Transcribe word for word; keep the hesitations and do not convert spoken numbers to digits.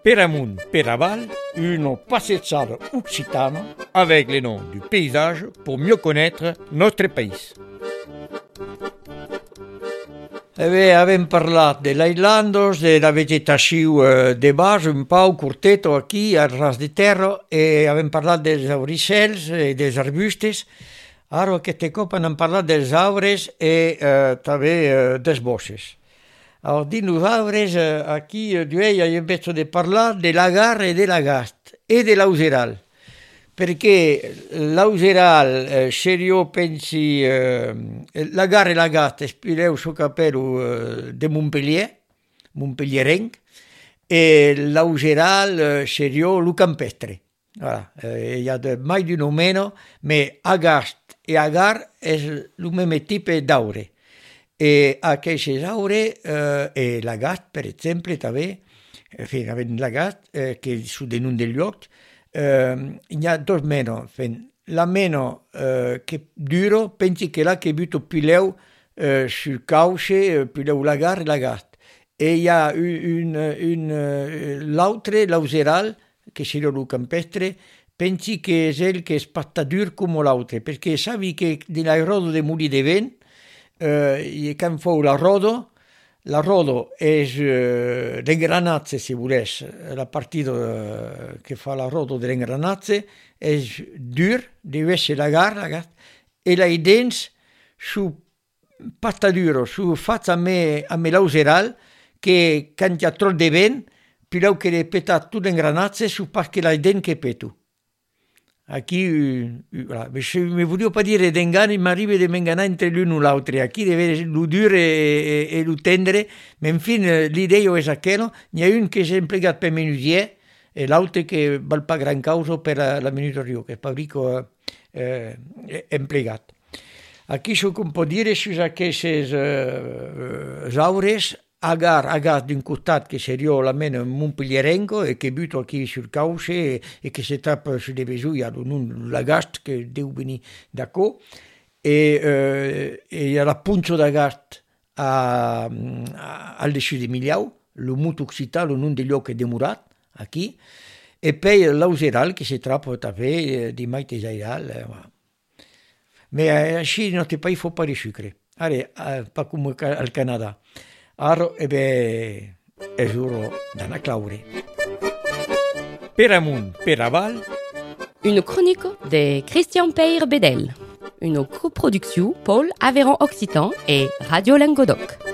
Per amunt, per aval, une passeggiata occitane avec les noms du paysage pour mieux connaître notre pays. Eh bé, avem parlat de l'Highlanders, de la vegetació eh, de baix, un pau curteto aquí, al ras de terra, i avem parlat dels auricels i dels arbustes. Ara aquest cop hem parlat dels arbres i eh, també eh, dels bosses. Alors, dins els arbres, eh, aquí, eh, jo hem vist de parlar de l'agar i de l'agast, i de l'augeral. Perché l'augeral, eh, se io pensi, eh, l'agar e l'agast espireu su capello eh, de Montpellier, Montpellierenc, e l'augeral, eh, se io lu campestre. Voilà. Eh, hi ha de, mai di no meno, ma agast e agar è il mesmo tipo d'aure. E aquests aure, eh, e l'agast, per exemple, també, eh, avem l'agast, eh, che su de un degli occhi, Uh, hi ha dos meno. La meno uh, che duro, pensi che la che butto pileu uh, sul cauce, uh, pileu l'agar e l'agast. E hi ha un, un, uh, l'altre, l'auseral, che si lo campestre, pensi che è il che è spattadur come l'altre, perché savi che nell'aerodo de muli de vent, uh, can fou la rodo, la rodo és eh, l'engranatge, si volés, la partita eh, che fa la rodo dell'engranatge, és dur, deve essere l'agar, l'agar, e la dents su pasta duro, su fatto a me, a me l'auseral, che quan hi ha troppo de vent, pileu che repeta tutto l'engranatge su perché la dent che petu. Aquí, voilà. Mi voglio pas dire d'engany, m'arriba de m'enganar entre l'un o l'altre. Aquí deve ser lo dur e, e, e lo tendre, ma en fin, l'idea és aquella. N'hi ha un que és emplegat per menuisier e l'altre que val pas gran causa per la, la menuiseria, que és fabrico eh, emplegat. Aquí això que può dire su aquestes eh, aures, agar, agar d'un costat che seria la mena montpellierenco e che butto qui sul cauce e, e che si tappa su deve giù, ha l'agast che deve venire da qua e, eh, e la punzo d'agast a, a, al dessus di Miliau, lo muto occità, lo non degli occhi demurat, aquí, e poi l'auseral che si trappa també di maite jairal. Eh, ma així no te país fa pas de sucre. Ara, pas com al Canadà. Ara, eh bé, è giuro d'Anna Claure. Per amunt, per aval. Une chronique de Christian Peyre Bedel. Une coproduction Paul Aveyron Occitan et Radio Languedoc.